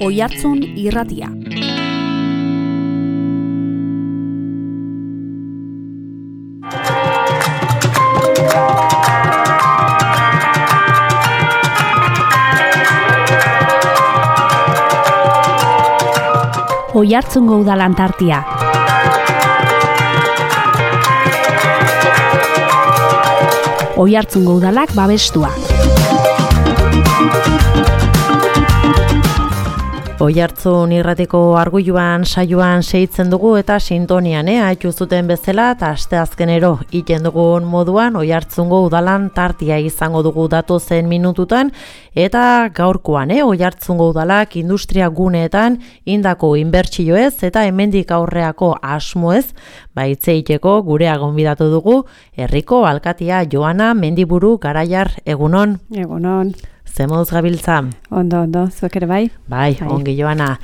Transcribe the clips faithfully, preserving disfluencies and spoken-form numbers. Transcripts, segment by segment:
Oihartzun irratia. Oihartzungo udalan tartia. Oihartzungo udalak babestua. Oihartzun irratiko arguiluan saioan seitzen dugu eta sintonian, eh, haitu zuten bezala eta asteazkenero iten dugun moduan Oihartzungo udalan tartia izango dugu datozen minututan eta gaurkoan, eh, Oihartzungo udalak industria guneetan indako inbertsioez eta hemendik aurreako asmoez baitzeiteko gurea gonbidatu dugu herriko alkatia Joana Mendiburu Garaiar. Egunon. Egunon. Zemoduz gabiltza? Ondo, ondo, zuek ere bai? Bai, bai. Ongi Joana.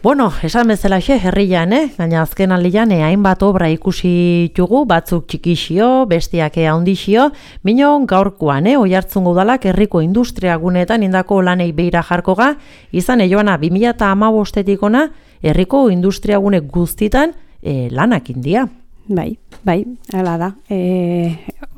Bueno, esan bezala xe, herrian, eh? Gaina azken aldian, eh, hainbat obra ikusi tugu, batzuk txikixio, bestiak handixio, minon gaurkoan, eh? Oihartzungo udalak herriko industria guneetan indako lanei beira jarkoga, izan, eh, Joana, bi mila hamabostetik ona, herriko industria gune guztitan eh, lanak india. Bai, bai, hala da. E...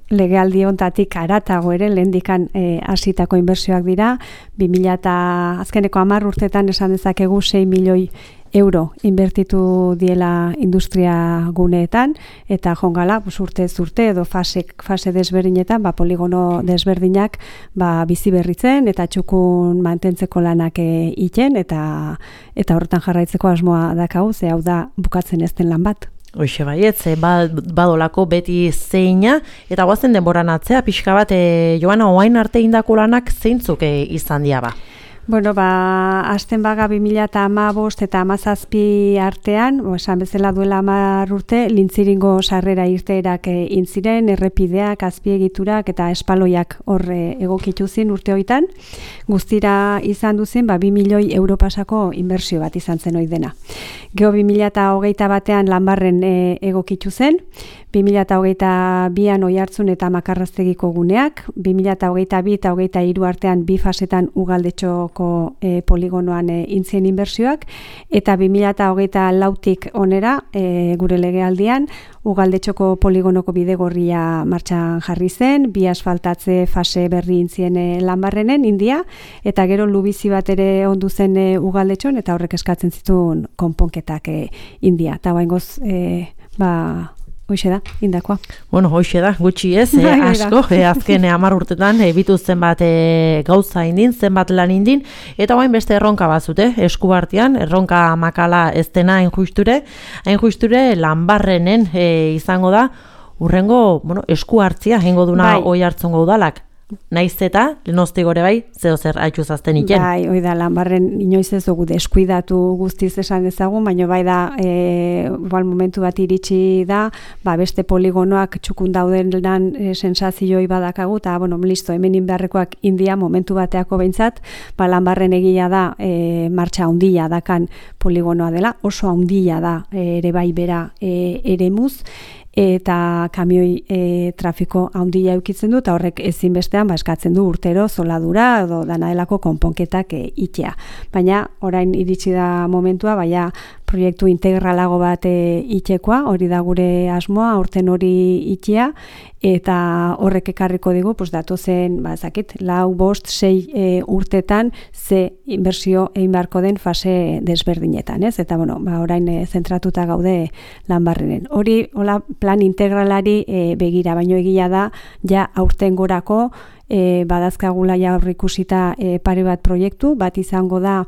Legealdi hontatik haratago ere lehendikan e, hasitako inbertsioak dira, bi mila eta azkeneko hamar urtetan esan dezakegu sei milioi euro inbertitu diela industria guneetan, eta jongala pues, urte zurte edo fase, fase desberdinetan, ba, poligono desberdinak ba, bizi berritzen eta txukun mantentzeko lanak e, iten, eta, eta horretan jarraitzeko asmoa dakau, ze hau da bukatzen ez den lan bat. Hoxe baiet, ze badolako beti zeina, eta guazen denboran atzea, pixka bat, e, Joana, oain arte indako lanak zeintzuk e, izan dira ba? Bueno, ba, azten baga bi mila hamabost eta hamazazpi artean, bo, esan bezala duela hamar urte, Lintziringo sarrera irteerak e, intziren, errepideak, azpiegiturak eta espaloiak horre egokitu zin urte hoitan. Guztira izan duzen, ba, bi milioi euro pasako inbertsio bat izan zen hoi dena. Geo bi mila hogeita batean Lanbarren e, egokitu zen, bi mila hogeita bian Oihartzun eta Makarraztegiko guneak, bi mila hogeita bi eta hogeita hiru artean bi fasetan Ugaldetxoko e, poligonoan e, intzien inbertsioak, eta bi mila hogeita lautik onera e, gure legealdian Ugaldetxoko poligonoko bidegorria martxan jarri zen, bi asfaltatze fase berri intzien e, Lanbarrenen india, eta gero lubizi bat ere ondu zen e, Ugaldetxon, eta horrek eskatzen zituen konponketak e, india. Eta baingoz, e, ba... Hoxe da, indakoa. Bueno, hoxe da, gutxi ez, eh, asko, eh, azken hamar urtetan ebitu zenbat eh, gauza indin, zenbat lan indin, eta bain beste erronka bazute, esku artean, erronka makala ez dena hain justure, hain justure Lanbarrenen eh, izango da, urrengo bueno, esku hartzia jengo duna bai. Oihartzungo udalak. Naiz eta, lenosti gore bai, zeo zer haitxuzazten iken. Bai, hoi da, Lanbarren inoiz ez dugu deskuidatu guztiz esan ezagun, baina bai da, e, bal momentu bat iritsi da, ba, beste poligonoak txukun dauden lan e, sensazioi badakagu, eta, bueno, listo, hemen inbeharrekoak india momentu bateako behintzat, ba, Lanbarren egia da, e, martxa handia dakan poligonoa dela, oso handia da, e, ere bai bera e, eremuz, eta kamioi e, trafiko handia eukitzen du, eta horrek ezinbestean ba, eskatzen du urtero zoladura edo danadelako konponketak e, itea. Baina orain iritsi da momentua, baina proiektu integralago bat e, itekoa, hori da gure asmoa, aurten hori itea, eta horrek ekarriko digu, pues, datozen, ba, zakit, lau, bost, sei e, urtetan ze inbertsio egin beharko den fase desberdinetan, ez? Eta, bueno, ba, orain e, zentratuta gaude Lanbarrenen. Hori, hola, plan integralari e, begira, baino egia da, ja aurten gorako, E, badazkagula ja aurreikusita e, pare bat proiektu, bat izango da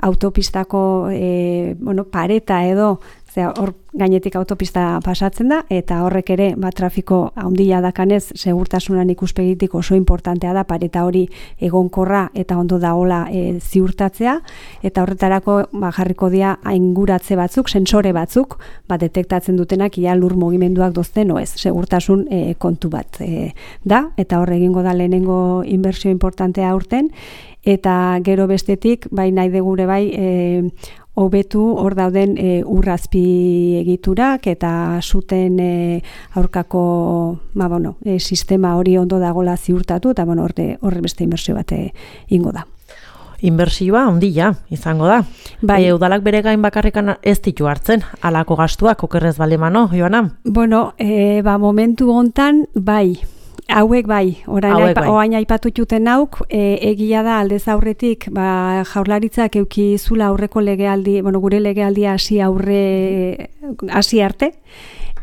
autopistako e, bueno, pareta edo, zera, hor gainetik autopista pasatzen da, eta horrek ere bat trafiko handia dakanez, segurtasunan ikuspegitik oso importantea da pareta hori egonkorra eta ondo daola e, ziurtatzea, eta horretarako ba, jarriko dira ainguratze batzuk, sensore batzuk, ba, detektatzen dutenak ia lur mugimenduak dozten oez, segurtasun e, kontu bat e, da, eta hor egingo da lehenengo inbertsio importantea aurten, eta gero bestetik, bai nahi degure bai, e, hobetu hor dauden e, urrazpi egiturak eta zuten e, aurkako ba, bueno, e, sistema hori ondo dagola ziurtatu, eta bueno, horre, horre beste inbertsio bat ingo da. inbertsioa handia izango da. Bai. E, udalak bere gain bakarrikan ez ditu hartzen, halako gastuak okerrez balemano, Joana? Bueno, e, ba, momentu hontan, bai, hauek bai, orain Hauek aipa, bai. oain aipatututen hauk, e, egia da aldez aurretik, ba, Jaurlaritzak euki zula aurreko legealdi, bueno, gure legealdia hasi aurre, hasi arte,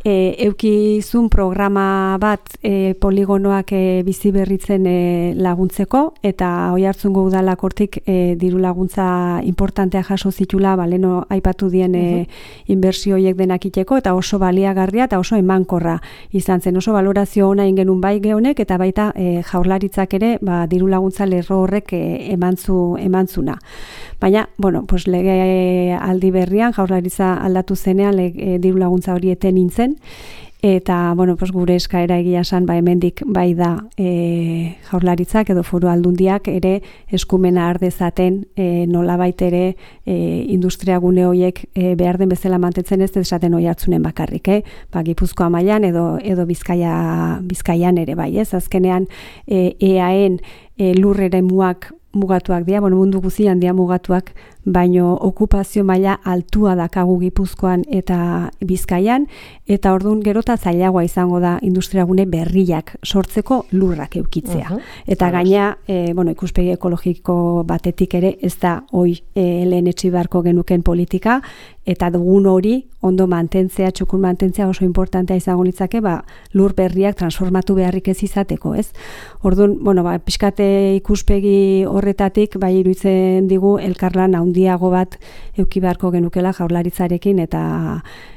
E, eukizun programa bat e, poligonoak e, bizi berritzen e, laguntzeko, eta Oiartzungo udalak hortik e, diru laguntza importantea jaso zitula, ba, leno aipatu dien e, inbertsio horiek denak iteko, eta oso baliagarria eta oso emankorra izan zen, oso valorazio ona ingenun bai gehonek, eta baita e, Jaurlaritzak ere ba, diru laguntza lerro horrek e, emantzu, emantzuna. Baina, bueno, pues lege aldi berrian, Jaurlaritza aldatu zenean lege, diru laguntza hori eten nintzen, eta, bueno, pues gure eskaera egia esan, ba, hemendik bai da e, Jaurlaritzak edo Foru Aldundiak ere eskumena har dezaten e, nolabait ere e, industria gune horiek e, behar den bezala mantentzen ez desaten Oiartzunen bakarrik, eh? Ba, Gipuzkoa mailan edo edo Bizkaia Bizkaian ere bai, ez? Azkenean e, eaen e, lur eremuak mugatuak dira, bueno, mundu guztian dira mugatuak, baino okupazio maila altua dakagu Gipuzkoan eta Bizkaian, eta orduan gerota zailagoa izango da industriagune berriak sortzeko lurrak eukitzea. Uh-huh. Eta gaina, e, bueno, ikuspegi ekologiko batetik ere ez da hoi e, lehen etxi beharko genuken politika, eta dugun hori ondo mantentzea, txukun mantentzea oso importantea izango litzake, ba, lur berriak transformatu beharrik ez izateko, ez? Orduan, bueno, ba, pixkate ikuspegi horretatik, bai iruditzen digu elkarlan handiago bat euki beharko genukela Jaurlaritzarekin eta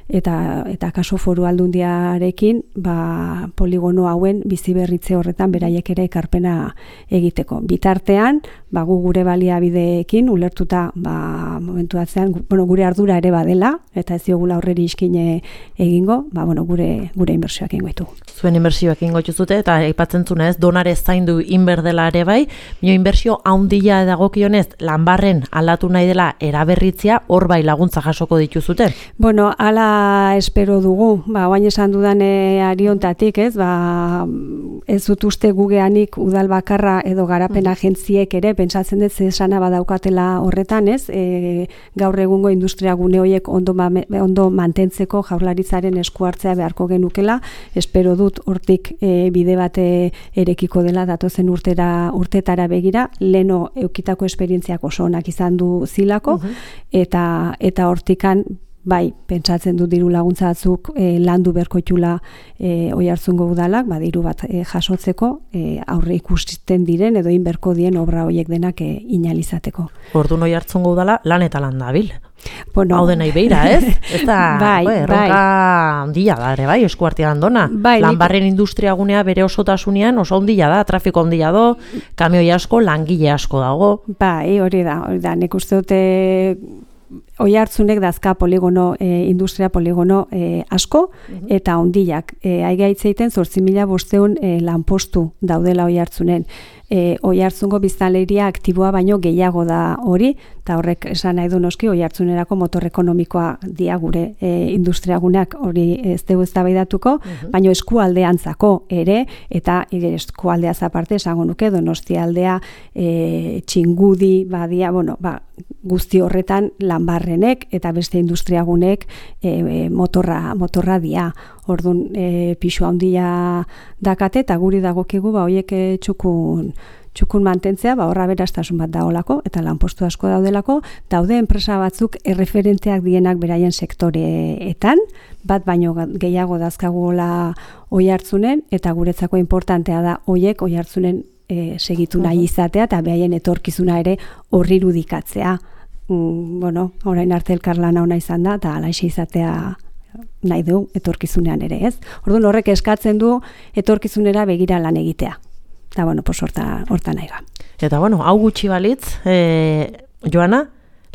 eta eta kaso Foru Aldundiarekin, ba, poligono hauen bizi berritze horretan beraiek ere ekarpena egiteko. Bitartean, ba, gu gure baliabideekin ulertuta, ba, momentu batzean, bueno, gure ardura ere badela, eta ez diogula horreri iskine egingo, ba, bueno, gure gure inbertsioak egingo ditugu. Zuen inbertsioak egingo dituzute, eta aipatzen zuna ez, donare zaindu inberdela ere bai, mio inbertsio handia dagokionez, lanbarren aldatu nahi dela eraberritzea, hor bai laguntza jasoko dituzute? Bueno, ala espero dugu, ba, oain esan dudan e, ariontatik, ez, ba, ez dut uste gugeanik udal bakarra edo garapen agentziek ere, pentsatzen dut zesana badaukatela horretan, ez, e, gaur egungo industria gune horiek ondo, ondo mantentzeko Jaurlaritzaren esku hartzea beharko genukela, espero dut hortik e, bide bate erekiko dela datozen urtera, urtetara begira, leno eukitako esperientziak oso onak izan du zilako, uh-huh. eta, eta hortikan bai, pentsatzen du diru laguntza batzuk e, landu berkoitula e, Oiartzungo udalak, ba, diru bat e, jasotzeko e, aurre ikusten diren edo inberko dien obra horiek denak e, inalizateko. Orduan Oiartzungo udala lan eta lan dabil. Bueno, hau dena ibeira, ez? Ez da, bai, bai, erronka handia da ere, bai, eskuartia handona. Bai, Lanbarren industria gunea bere osotasunean oso handia da, trafiko handia do, kamioi asko, langile asko dago. Bai, hori da, hori da, nik uste dute Oiartzunek dazka poligono, e, industria poligono e, asko, uh-huh. eta ondiak. E, Aigaitzeiten zortzi mila bosteun e, lanpostu daudela Oiartzunen. E, Oiartzungo biztanleria aktiboa baino gehiago da hori, eta horrek esan nahi du noski Oiartzunerako motor ekonomikoa dia gure e, industriagunak hori ez dugu eztabaidatuko, uh-huh. baino eskualdeantzako ere, eta eskualdeaz aparte esango nuke Donostialdea, e, Txingudi, badia, bueno, ba, guzti horretan lanbarrenek eta beste industriagunek e, e, motorra, motorra dia. Orduan e, pixu handia dakate eta guri dagokigu ba hoiek e, txukun txukun mantentzea, ba horra berastasun bat daolako eta lanpostu asko daudelako, daude enpresa batzuk erreferenteak dienak beraien sektoreetan, bat baino gehiago dazkagola Oiartzunen eta guretzako importantea da hoiek Oiartzunen e, segitu nahi izatea eta behaien etorkizuna ere horri irudikatzea. Mm, bueno, orain arte elkarlana ona izan da eta halaxe izatea nahi du etorkizunean ere, ez? Orduan horrek eskatzen du etorkizunera begira lan egitea. Eta bueno, pues horta, horta nahi ga. Eta bueno, hau gutxi balitz, e, Joana,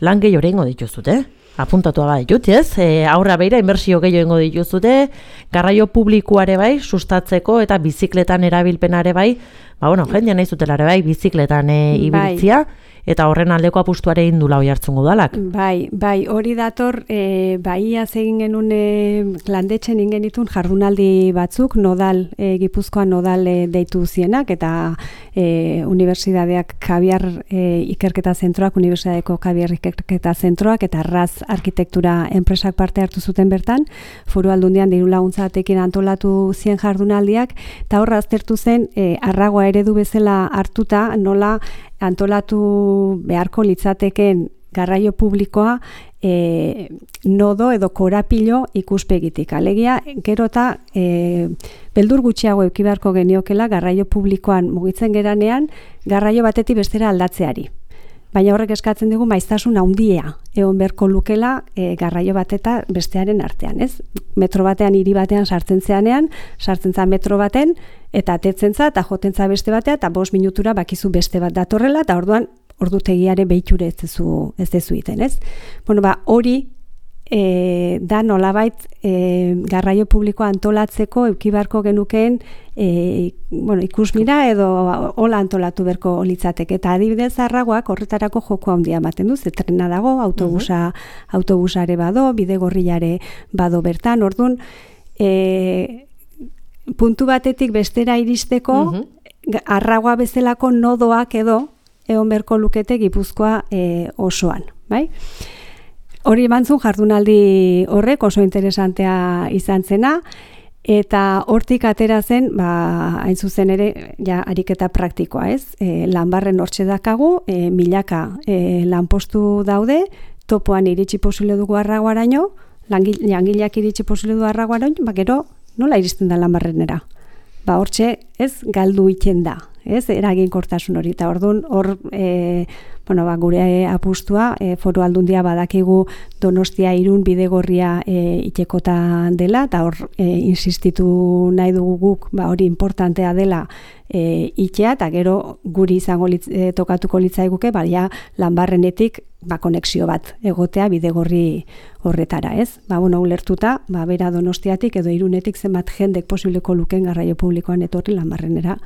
lan gehi horrengo dituzute, eh? Apuntatua bai ditut, ez? E, aurra beira, inbertsio gehiago dituzute, garraio publikoare bai, sustatzeko eta bizikletan erabilpenare bai, ba, bueno, jendean nahi zutela ere bai, bizikletan e, ibiltzia, bai. Eta horren aldeko apustuare indula hoi hartzun udalak. Bai, bai, hori dator, e, baia egin genuen e, landetxen ingenitun jardunaldi batzuk, nodal, e, Gipuzkoan nodal e, deitu zienak, eta e, Unibertsitateak Kabiar e, ikerketa zentroak, Unibertsitateko Kabiar ikerketa zentroak, eta Raz arkitektura enpresak parte hartu zuten bertan, Foru Aldundian diru laguntza batekin antolatu zien jardunaldiak, eta horra aztertu zen, e, arragoa eredu bezala hartuta, nola antolatu beharko litzateken garraio publikoa e, nodo edo korapilo ikuspegitik. Alegia, gero eta e, beldur gutxiago eduki beharko geniokela garraio publikoan mugitzen geranean garraio batetik bestera aldatzeari. Baina horrek eskatzen dugu maiztasun handia egon beharko lukela e, garraio bat eta bestearen artean, ez? Metro batean, hiri batean sartzen zeanean, sartzen za metro baten, eta atetzen za, eta joten za beste batea, eta bost minutura bakizu beste bat datorrela, eta orduan ordutegiare behiture ez dezu, ez dezu iten, ez? Bueno, ba, hori e, da nolabait e, garraio publikoa antolatzeko eduki beharko genukeen e, bueno, ikusmira edo hola antolatu berko litzateke. Eta adibidez arragoak horretarako joko handia ematen du, zetrena dago, autobusa, uh-huh. autobusare bado, bidegorriare bado bertan, orduan, e, puntu batetik bestera iristeko, uh-huh. arragoa bezalako nodoak edo egon berko lukete Gipuzkoa e, osoan, bai? Hori emantzun jardunaldi horrek oso interesantea izan zena, eta hortik atera zen, ba, hain zuzen ere, ja, ariketa praktikoa, ez? E, lanbarren hortxe dakagu, e, milaka e, lanpostu daude, topoan iritsi posible dugu arragoaraino, langileak iritsi posible du arragoaraino, ba, gero, nola iristen da lanbarrenera? Ba, hortxe, ez, galdu iten da, ez, eraginkortasun hori, eta orduan, hor, e, bueno, ba, gure apustua, e, Foru Aldundia badakigu Donostia Irun bidegorria e, itekotan dela, eta hor, e, insistitu nahi dugu guk, ba, hori importantea dela e, itea, eta gero guri izango litz, e, tokatuko litzaiguke, ba, ja, lanbarrenetik, ba, konexio bat egotea bidegorri horretara, ez? Ba, bueno, ulertuta, ba, bera Donostiatik edo Irunetik zenbat jendek posibleko luken garraio publikoan etorri lanbarrenera,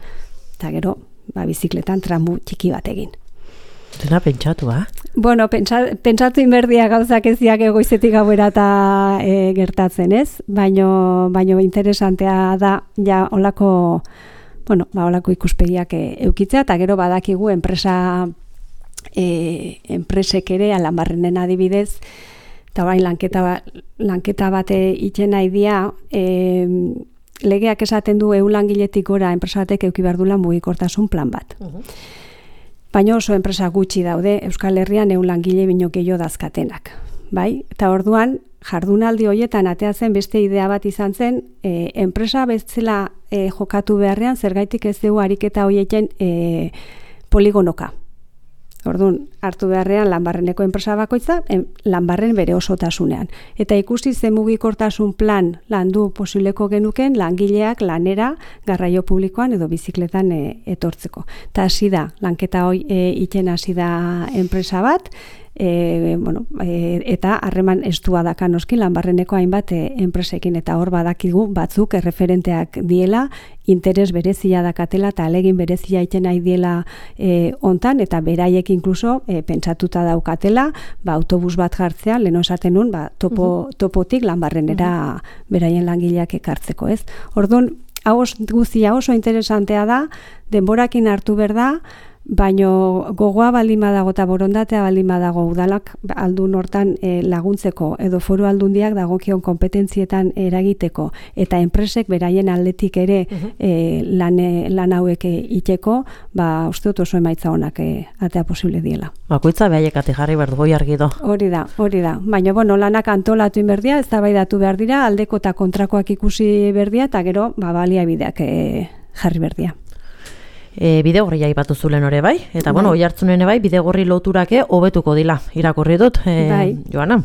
eta gero, ba, bizikletan tramu txiki bat egin. Dena pentsatu, ha? Bueno, pentsa, pentsatu inberdia gauzak eziak egoizetik gauera eta e, gertatzen, ez? Baino, baino interesantea da, ja, olako, bueno, ba, olako ikuspegiak e, eukitzea, eta gero badakigu enpresa E, enpresek ere lanbarrenen adibidez, eta orain lanketa, ba, lanketa bate iten nahi dia, e, legeak esaten du ehun langiletik gora enpresa batek eduki behar dula mugikortasun plan bat. Uh-huh. Baina oso enpresa gutxi daude Euskal Herrian ehun langile bino gehiago dazkatenak. Bai? Eta orduan, jardunaldi horietan atea zen beste idea bat izan zen, e, enpresa bezala e, jokatu beharrean, zergaitik ez dugu ariketa horietan e, poligonoka. Orduan, hartu beharrean lanbarreneko enpresa bakoitza, en, lanbarren bere osotasunean. Eta ikusi zen mugikortasun plan landu posibleko genuken langileak lanera garraio publikoan edo bizikletan e, etortzeko. Eta hasi da, lanketa hoi e, iten hasi da enpresa bat, E, bueno, e, eta harreman estua daka noski lanbarreneko hainbat e, enpresekin, eta hor badakigu batzuk erreferenteak diela, interes berezia dakatela eta alegin berezia iten nahi diela e, ontan, eta beraiek inkluso e, pentsatuta daukatela, ba, autobus bat jartzea, lehen osaten nun, ba, topo, uh-huh. topotik lanbarrenera uh-huh. beraien langileak ekartzeko, ez? Orduan, hau guztia oso interesantea da, denborakin hartu behar da, baino gogoa baldin badago eta borondatea baldin badago udalak aldun hortan e, laguntzeko edo Foru Aldundiak dagokion kompetentzietan eragiteko eta enpresek beraien aldetik ere uh-huh. e, lan, lan hauek iteko, ba, uste dut oso emaitza honak e, atea posible diela. Bakoitza behaiek ate jarri behar dugu argido. Hori da, hori da. Baina, bueno, lanak antolatu inberdia, ez da baidatu behar dira, aldeko eta kontrakoak ikusi berdia, eta gero, ba, baliabideak e, jarri berdia. E, bidegorri aipatu zulen ore bai, eta bai. Bueno, oi hartzunen bai, bidegorri loturake hobetuko dila, irakurri dut, e, bai. Joana.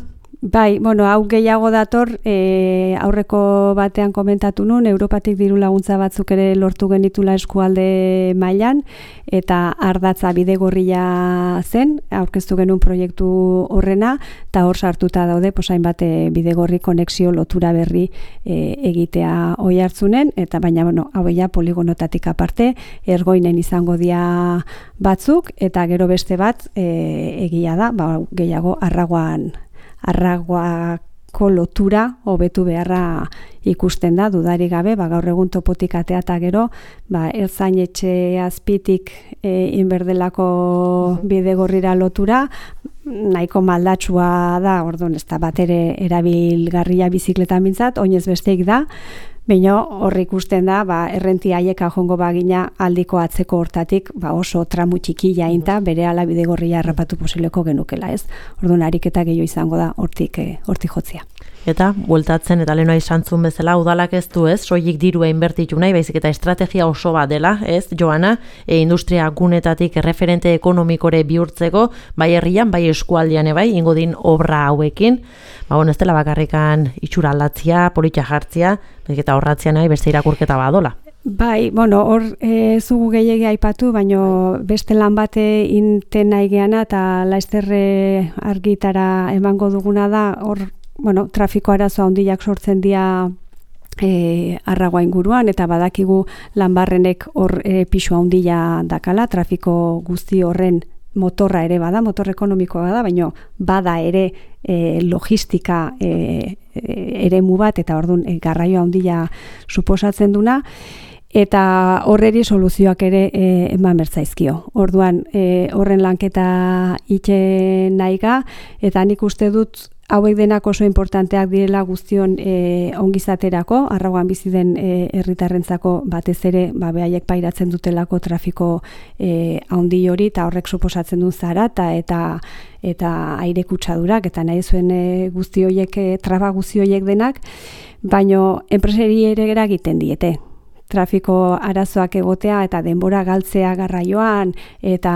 Bai, bueno, hau gehiago dator, e, aurreko batean komentatu nun, Europatik diru laguntza batzuk ere lortu genitula eskualde mailan, eta ardatza bidegorria zen, aurkeztu genuen proiektu horrena, eta hor sartuta daude, posain bat bidegorri konexio lotura berri e, egitea oi hartzunen, eta baina, bueno, hau ja poligonotatik aparte, ergoinen izango dia batzuk, eta gero beste bat e, egia da, ba, gehiago arraguan arraguako lotura hobetu beharra ikusten da, dudari gabe, ba, gaur egun topotik atea eta gero, ba, ertzain etxe azpitik e, inberdelako bidegorrira lotura, nahiko maldatsua da, orduan ez da bat ere erabilgarria bizikletan bintzat, oinez besteik da, baina hor ikusten da, ba, errenti haieka jongo bagina aldiko atzeko hortatik, ba, oso tramu txikia inta, bere ala bidegorria errapatu posibleko genukela, ez? Orduan ariketa gehiago izango da hortik, eh, hortik jotzia. Eta, bueltatzen eta lehenoa izantzun bezala, udalak ez du ez, soilik dirua inbertitu nahi, baizik eta estrategia oso bat dela, ez, Joana, e, industria gunetatik erreferente ekonomikore bihurtzeko, bai herrian, bai eskualdean bai, ingo din obra hauekin, ba, bon, ez dela bakarrikan itxura aldatzia, politia jartzia, baizik eta horratzia nahi, beste irakurketa badola. Bai, bueno, hor e, zugu gehiagia aipatu, baino beste lan bate inten nahi geana, eta laizterre argitara emango duguna da, hor, bueno, trafiko arazo handiak sortzen dira e, arragoa inguruan, eta badakigu lanbarrenek hor e, pisu handia dakala, trafiko guzti horren motorra ere bada, motor ekonomikoa bada, baina bada ere e, logistika e, e, eremu bat, eta orduan e, garraio handia suposatzen duna, eta horreri soluzioak ere e, eman bertzaizkio. Orduan, e, horren lanketa itxe nahiga, eta nik uste dut hauek denak oso importanteak direla guztion e, ongizaterako, arrauan bizi den e, herritarrentzako batez ere, ba, behaiek pairatzen dutelako trafiko e, handi hori, eta horrek suposatzen du zarata eta eta aire kutsadurak, eta nahi zuen e, guzti horiek, e, traba guzti horiek denak, baino enpresari ere eragiten diete. Trafiko arazoak egotea eta denbora galtzea garraioan eta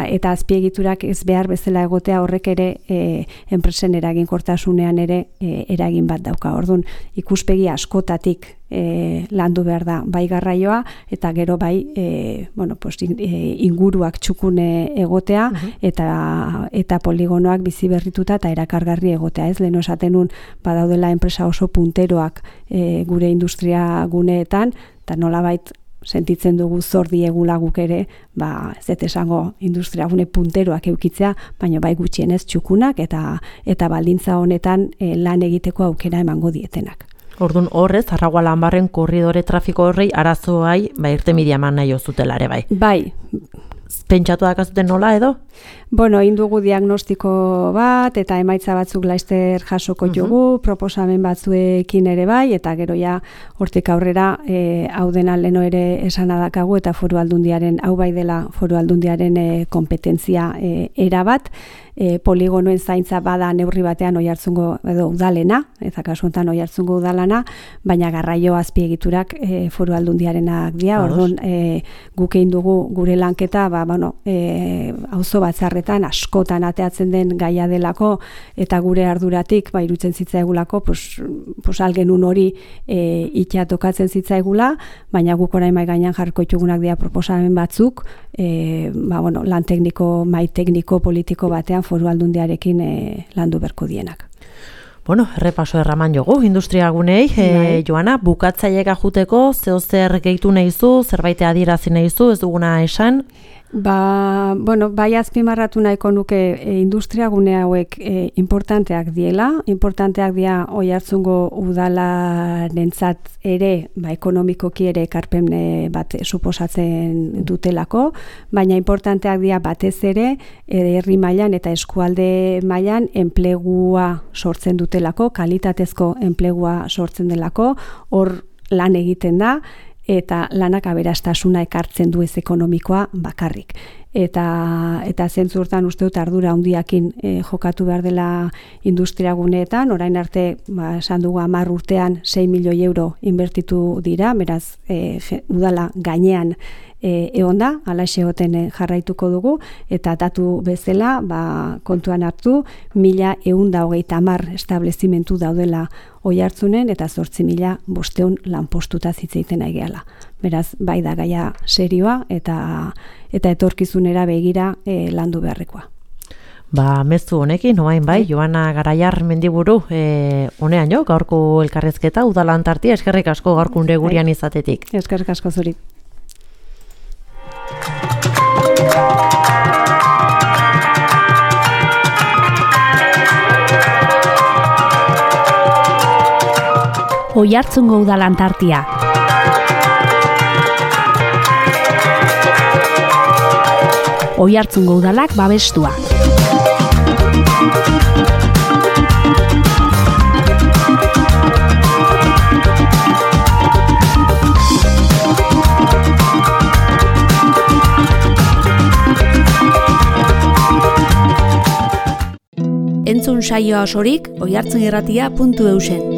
eta azpiegiturak ez behar bezala egotea horrek ere e, enpresen eraginkortasunean ere e, eragin bat dauka. Orduan ikuspegi askotatik e, landu behar da bai garraioa eta gero bai e, bueno, pues, inguruak txukune egotea uh-huh. eta eta poligonoak bizi berrituta eta erakargarri egotea. Ez lehen esatenun badaudela enpresa oso punteroak e, gure industria guneetan, eta nolabait sentitzen dugu zor diegula guk ere, ba, ez dut esango industriagune punteroak eukitzea, baina bai gutxienez txukunak eta eta baldintza honetan e, lan egiteko aukera emango dietenak. Orduan horrez, Arragua Lanbarren korridore trafiko horrei arazoai, ba, irtenbidea eman nahi ozutela ere bai. Bai. Pentsatu dakazuten nola edo? Bueno, indugu diagnostiko bat, eta emaitza batzuk laizter jasoko jogu, uh-huh. proposamen batzuekin ere bai, eta gero ja hortik aurrera e, hau dena leno ere esanadakagu, eta foru aldundiaren, hau bai dela foru aldundiaren e, kompetentzia e, erabat, e, poligonoen zaintza bada neurri batean oihartzungo edo udalena, eta kasu honetan oihartzungo udalana, baina garraio azpiegiturak e, foru aldundiarenak dira, orduan e, guk egin dugu gure lanketa, ba, bueno, e, auzo batzarretan askotan ateatzen den gaia delako eta gure arduratik ba irutzen zitzaigulako pues pues algenun hori e, itxa tokatzen zitzaigula, baina guk orain mai gainean jarriko ditugunak dira proposamen batzuk, e, ba bueno, lan tekniko, mai tekniko politiko batean foru aldundiarekin e, landu berko dienak. Bueno, errepaso erraman jogu, industria gunei, e, Joana, bukatzailega juteko, zeo zer gehitu nahizu, zerbait adierazi nahizu, ez duguna esan? Ba, bueno, bai azpimarratu nahiko nuke e, industria gune hauek e, importanteak diela, importanteak dira Oiartzungo udalarentzat ere, ba, ekonomikoki ere ekarpen bat suposatzen dutelako, baina importanteak dira batez ere herri mailan eta eskualde mailan enplegua sortzen dutelako, kalitatezko enplegua sortzen delako, hor lan egiten da, eta lanak aberastasuna ekartzen du ez ekonomikoa bakarrik. Eta, eta zentzu hortan uste dut ardura handiakin e, jokatu behar dela industria guneetan, orain arte, ba, esan dugu hamar urtean sei milioi euro inbertitu dira, beraz, e, udala gainean e, egon da, alaxe egoten jarraituko dugu, eta datu bezala ba, kontuan hartu, mila ehun eta hogeita hamar establezimentu daudela Oiartzunen eta zortzi mila bosteun lanpostuta zitzeiten aigeala. Beraz, bai da gaia serioa eta eta etorkizunera begira e, landu beharrekoa. Ba, mezu honekin, oain bai, Joana Garaiar Mendiburu, e, honean jo, gaurko elkarrezketa, udalan tartia, eskerrik asko gaurkunde gurian izatetik. Eskerrik asko zuri. Oiartzungo udalan tartia. Oiartzungo udalak babestua. Entzun saioa osorik oiartzunirratia puntu eusen.